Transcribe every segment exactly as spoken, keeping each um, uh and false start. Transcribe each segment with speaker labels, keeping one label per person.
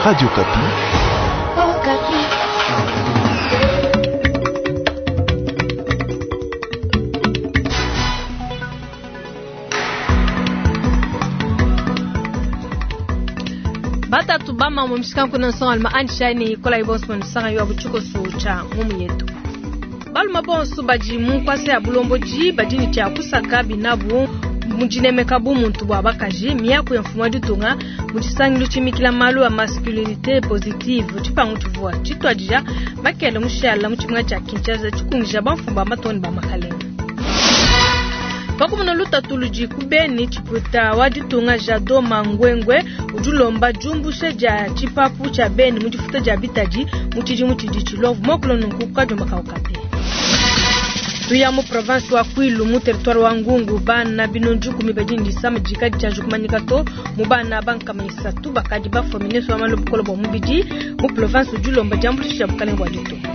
Speaker 1: Radio Okapi.
Speaker 2: Okapi.
Speaker 3: Batatu bama mu mshikanku na nsonga alima anshani kola ibonso mu yo abuchuko sucha ngumu yetu. Baluma bonso badi mu nkwasa ya bulomboji badi ne tshia kusaka binabu mu dinemeka bumuntu bua bakaji miaku ya mfumu wa ditunga mu tshisangilu tshimikila malu a masculinité positive tshipangu tshivua tshituadija makele mushala mu tshimenga tshia Kinshasa tshikungija bamfumu ba matoni ba makalenga. Pakumuna lutatu ludi ku Beni tshipuita wa ditunga Jado Mangwengwe udi ulomba diumbusha dia tshipapu tshia Beni mu difuta dia bitadi mu tshidimu tshidi tshilovu mokolo nunku kadiomba kaukapi. Tuya mu province wa Kwilu mu territoire wa Ngungu bana binonju kumi badi ndisama dikadi tshia jukumanyika to mu bana bankama isatu bakadi bafua ministre wa malu bukolo bua mubidi mu province udi ulomba diambuluisha bukalenge bua ditunga.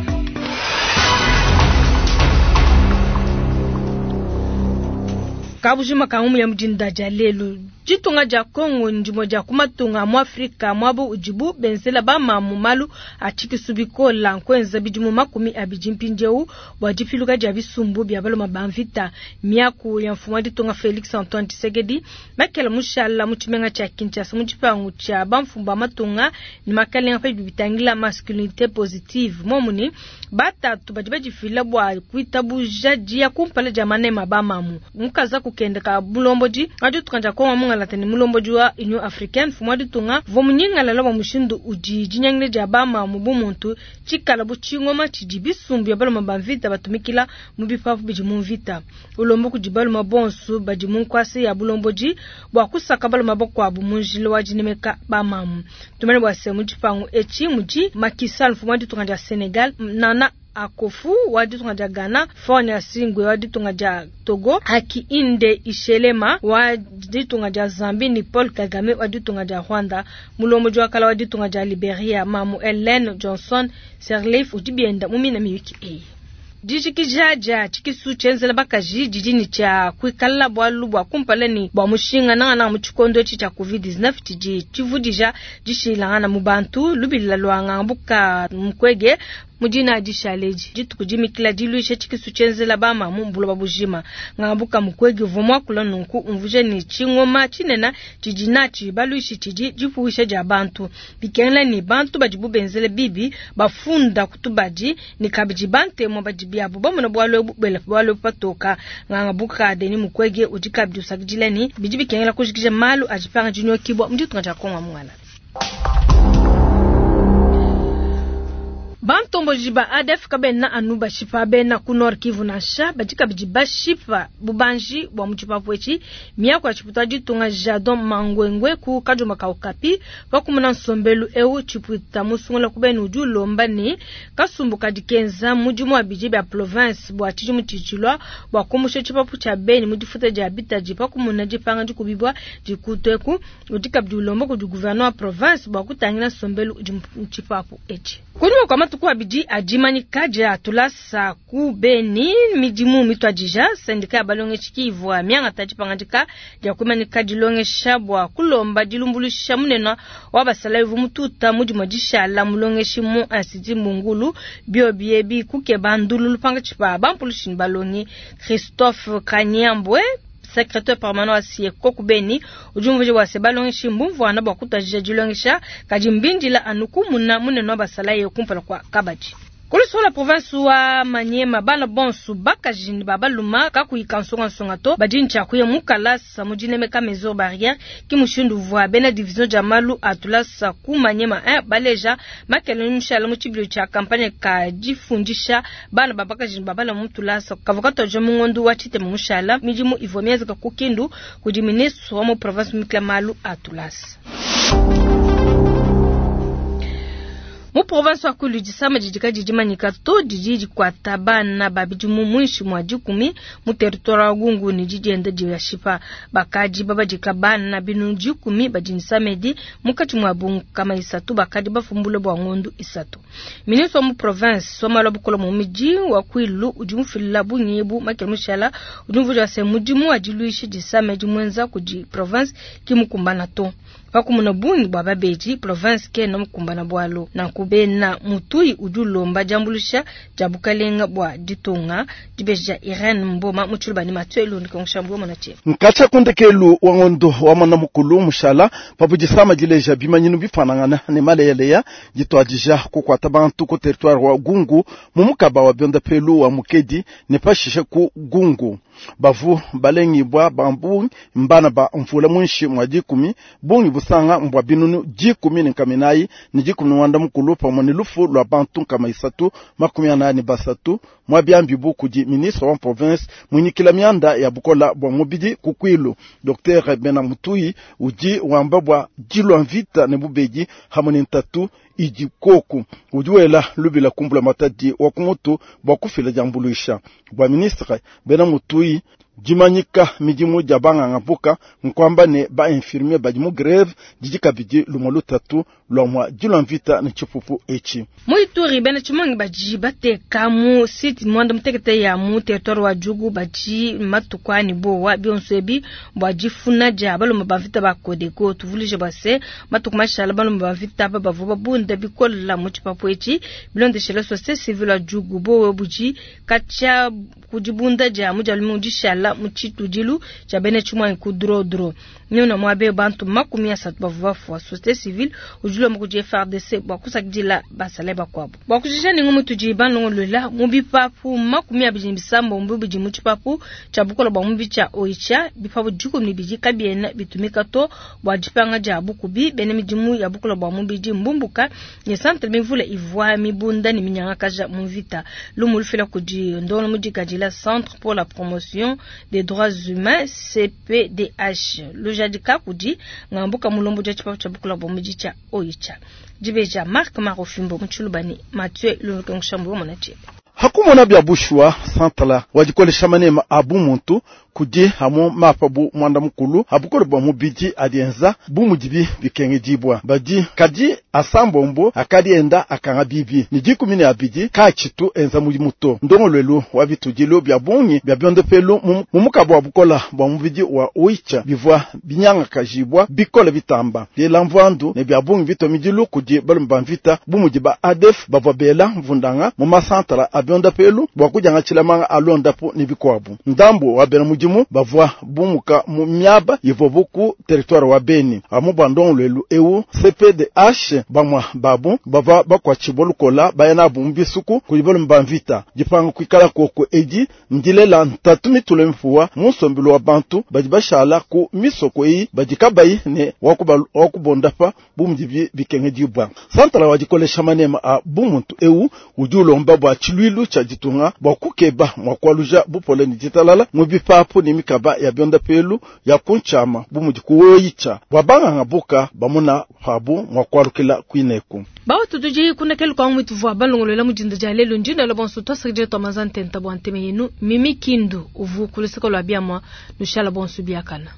Speaker 3: Kabujima ka ngumu ya mudinda dia lelu ditunga dia Kongo ndimo dia kumatunga mu Afrika mwabo udibu benzela bamamu malu a tshikisu bikola nkwenza bidimu makumi abidi mpindieu bua dipiluka dia bisumbu bia baloma ba mvita miaku ya mfumu wa ditunga Felix Antoine Tshisekedi makela mushala mu tshimenga tshia Kinshasa mu tshipangu tshia bamfumu ba matunga ne makalenga pa bidi bitangila masculinité positive momuni batatu badi badifila bua kuitabuja dia kumpala dia manema bamamu mukaza kukenda ka bulombodi wa ditunga dia Kongo mungalata ne mulombodi wa Union Africaine mfumu wa ditunga uvua munyingalala bua mushindu udi dinyangile dia bamamu bumuntu tshikala bu tshingoma tshidi bisumbu bia baloma ba mvita batumikila mu bipapu bidi mu mvita ulomba kudi baloma bonso badi mu nkwasa ya bulombodi bua kusaka baloma bakuabu mu njila wa dinemeka bamamu tumene bua se mu tshipangu etshi mudi Macky Sall mfumu wa ditunga dia Senegal Nana Akofu wa ditunga dia Ghana, Faure Gnassingbé wa ditunga dia Togo, Hakainde Hichilema wa ditunga dia Zambie ni Paul Kagame wa ditunga dia Rwanda, mulombodi wa kala wa ditunga dia Liberia, Mamu Ellen Johnson Sirleaf udi bienda mu mina miyuki eyi. Dijikija dia tshikisu tshienzela bakaji didi ne tshia kuikala bualu bua kumpala ne bua mushinga nangananga mu tshikondo etshi tshia covid dix-neuf tshidi tshivudija dishilangana mu bantu lubila lua ngambuka mukwege mu dina dishaleji dituku dimikila diluisha tshikisu tshienzela bamamu buloba bujima ngambuka mukwege uvua muakula nunku umvuja ne tshingoma tshinene tshidi natshi baluishi tshidi dipuwisha dia bantu bikengela ne bantu badibu benzele bibi bafunda kutubadi ne kabidi bantemu badi biabu bamona bualu ebu bela bualu ebu patoka ngangabuka Denis Mukwege udi kabidi usakidila ne bidi bikengela kujikija malu adi panga dinyokibua mu ditunga dia Kongo mungala. Bantomboji ba A D F kabena anu bashipa bena ku Nord Kivu nansha badi kabidi bashipa bubanji bua mu tshipapu etshi miaku ya tshiputa ditunga Jadon Mangwengwe ku Kadiomba ka Okapi pakumuna nsombelu eu tshipuita musungula ku benu udi ulomba ne kasumbu kadi kenza mudimu wa bidi bia province bua tshidimu tshitshilwa bua kumusha tshipapu tshia beni mu difuta dia bitadi pakumuna dipanga dikubibwa dikuteku udi kabidi ulomba kudi gouverneur wa province bua kutangila nsombelu udi mu tshipapu etshi. Kunyima kwa matuku abidi adimanyika dia tulasa ku Beni midimu mitwadija sendika ya balongeshi ivua miangata dipangadika dia kumanyika dilongesha bua kulomba dilumbulusha munene wa basalayi uvua mututa mudimu dishala mulongeshi mu institut Mungulu biobi ebi kukeba ndululu pangatshi pa bampulushi ne balongi Christophe Kanyambwe secrétaire permanent wa Sieko ku Beni udi umvuija bua se balongeshi mbumvuana bua kutuadija dilongesha kadi mbindila anu kumuna munene wa basalayi kumpala kua kabadi. Kulusola province wa Maniema bana bonso bakaji ne babaluma kakuyi kansongansonga to badi ntshia kuya mu kalasa mu dinemeka mesure barrière ki mushindu uvua bena division dia malu a tulasa ku Maniema un baleja makele mushala mu tshibilu tshia campagne ka difundisha bana ba bakaji ne babaluma mu tulasa kavua katuadija mu ngondo wa tshitema mushala midimu ivua mienzeka ku Kindu kudi ministre wa mu province mikila malu a tulasa. Mu province wa Kwilu disama didi kadi dimanyika to didi dikuata bana babidi mu muinshi mua dikumi mu territoire wa Gungu ne didienda dia shipa bakadi babadika bana binu dikumi badi nsamedi mukati mua bunkama isatu bakadi bafumbule bua ngondu isatu. Ministre wa mu province wa malu a bukole mu miji wa Kwilu udi mufilila bunyebu Makele Mushala udi mvuja se mudimu wa diluisha disamedi mwenza kudi province ki mukumbana to. Pa kumona bungi bua babedi, province kena mukumbana bualu. Nanku bena Mutuyi udi ulomba diambuluisha dia bukalenga bua ditunga. Dibeji dia Irene Mboma mu Tshiluba ne Mathieu Elundu Kongoshambu mona tshie.
Speaker 1: Nkatsha kundekelu wa ngondo wa mwana mukulu mushala pabu disama dileja bimanyinu bifanangana ne maleyaleya ditwadija kukwata bantu ku territoire wa Gungu mu mukaba wa byondapelu wa Mukedi ne pashishe ku Gungu. Bavu balengibwa bambu mbana ba mvula mwinshi mwa dikumi bungi busanga mbwa binunu dikumi ne nkaminayi ne dikumi ne wanda mukulu pamwe ne lufu lwa bantu nkama isatu makumi anani basatu mwa byambibu kudi ministre wa province mwinyikila mianda ya bukola bwa mubidi kukwilu Docteur Bena Mutuyi udi wamba bwa dilwa mvita ne bubedi hamwe ne ntatu idi koku udi wela lubila kumbula matadi wa kumutu bwa kufila diambuluisha bwa ministre Bena Mutuyi dimanyika midimu dia banganga mpuka nkwamba ne ba infirmier badi mu greve didi kabidi lumwe lutatu lwa mwa dilwa mvita ne tshipupu etshi.
Speaker 3: Mu Ituri bena tshimongi badi bateka mu site mwanda mutekete ya mu territoire wa Djugu badi matuku ani bowa bionso ebi bua difuna dia balomba ba mvita ba Codeco. Tuvulije bua se matuku mashala balomba ba mvita aba bavua babunda bikola mu tshipapu etshi bilondeshela société civile wa Djugu bowe budi katshia kudibunda dia mu dia lumingu dishala mu tshitudilu tshia bena tshimuangi ku drodro nyona mwabe bantu makumi asatu bavua bafua. Société civile udi ulomba kudi F R D C bua kusakidila basale bakuabu bua kujisha ningu mutudi banongolola mu bipapu makumi abidi ne bisambombo bidi mu tshipapu tshia bukola bua mubi tshia Oicha bipapu dikumi ne bidi kabiena bitumika to bua dipanga dia bukubi bena midimu ya bukola bua mubidi mbumbuka ne centre mivule ivua mibunda ne minyangakaja mu mvita lumu lufila kudi ndono mudikadila Centre pour la promotion des droits humains C P D H lujadika kudi ngambuka mulombo dia tshipapu tshia bukola bua mubidi tshia Oicha dibeja Marc Marofimbo mu Tshilubani Mathieu Lunkengushambu mona tshie.
Speaker 1: Hakumona bya bushwa santala wadikolesha manema abu muntu kudi hamu mapa bu mwanda mukulu abukole bwa mubidi adienza bu mudibi bikengedibwa badi kadi asambombo akadi enda akanga bibi ni dikumi ne abidi kachitu enza mudi muto ndongolwelu wa bitudilo bya bungi bya byondopelu mu mukabo wa bukola bwa mubidi wa Oicha bivwa binyanga kajibwa bikole bitamba byela mvandu ne bya bungi bitomidilu kudi balumba mvita bu mudi ba A D F bavwa bela mvundanga mu masantala abyondopelu bwa kujanga chilamanga alondapo ni bikwabu ndambo wa bena mudimu bavwa bumuka mu miaba ivwa buku territoire wa Beni amu bandongolwelu ewu C P D H bamwa babu bava bakwa chibolukola bayana bumbi suku kuli balumba mvita dipanga kwikala koko edi ndilela ntatu mitule mfuwa mu nsombelo wa bantu badi bashala ku misoko eyi badi kabayi ne wakubondapa bu mudibi bikengedibwa santala wa dikolesha manema a bumuntu ewu udi ulomba bua tshilwilu tshia ditunga bua kukeba mua kualuja bupole ne ditalala mu bipapu ne mikaba ya byondapelu ya kunchama bu mudi kuwoyicha bua banganga buka bamuna pabu mua kualukila kuineku.
Speaker 3: Bawo tutuji kuna kelu kwa mwitu vwa balongolola mujinda ja lelo njinda lo bonso twasakije twa mazantenta bwa nteme yenu Mimi Kindu uvu kulusiko lwa biamwa nushala bonso biakana.